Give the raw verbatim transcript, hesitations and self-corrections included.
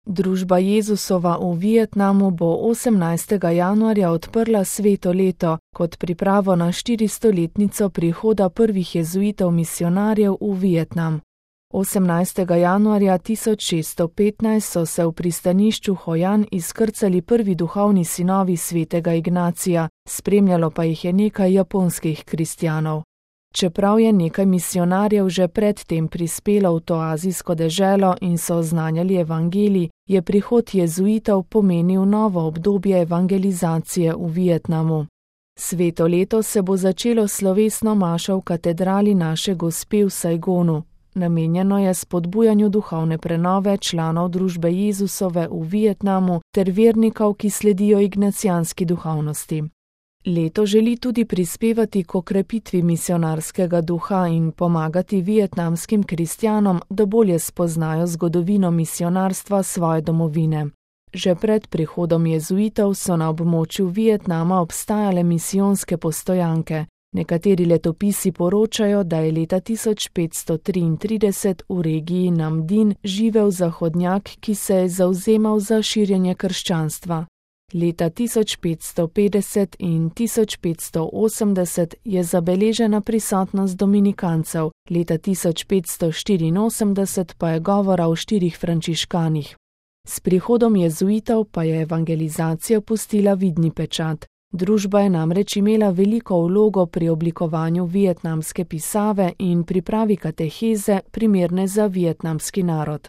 Družba Jezusova v Vietnamu bo osemnajstega januarja odprla sveto leto kot pripravo na štiristoletnico prihoda prvih jezuitov misionarjev v Vietnam. osemnajstega januarja tisoč šeststo petnajst so se v pristanišču Hoi An izkrcali prvi duhovni sinovi svetega Ignacija, spremljalo pa jih je nekaj japonskih kristjanov. Čeprav je nekaj misionarjev že predtem prispelo v to azijsko deželo in so oznanjali evangelij, je prihod jezuitov pomenil novo obdobje evangelizacije v Vietnamu. Sveto leto se bo začelo slovesno mašo v katedrali Naše Gospe v Saigonu. Namenjeno je spodbujanju duhovne prenove članov družbe Jezusove v Vietnamu ter vernikov, ki sledijo ignacijanski duhovnosti. Leto želi tudi prispevati k okrepitvi misionarskega duha in pomagati vietnamskim kristjanom, da bolje spoznajo zgodovino misionarstva svoje domovine. Že pred prihodom jezuitov so na območju Vietnama obstajale misijonske postojanke. Nekateri letopisi poročajo, da je leta tisoč petsto triintrideset v regiji Nam Dinh živel zahodnjak, ki se je zavzemal za širjenje krščanstva. Leta tisoč petsto petdeset in tisoč petsto osemdeset je zabeležena prisotnost dominikancev, leta tisoč petsto štiriinosemdeset pa je govora o štirih frančiškanih. S prihodom jezuitov pa je evangelizacija pustila vidni pečat. Družba je namreč imela veliko vlogo pri oblikovanju vietnamske pisave in pripravi kateheze, primerne za vietnamski narod.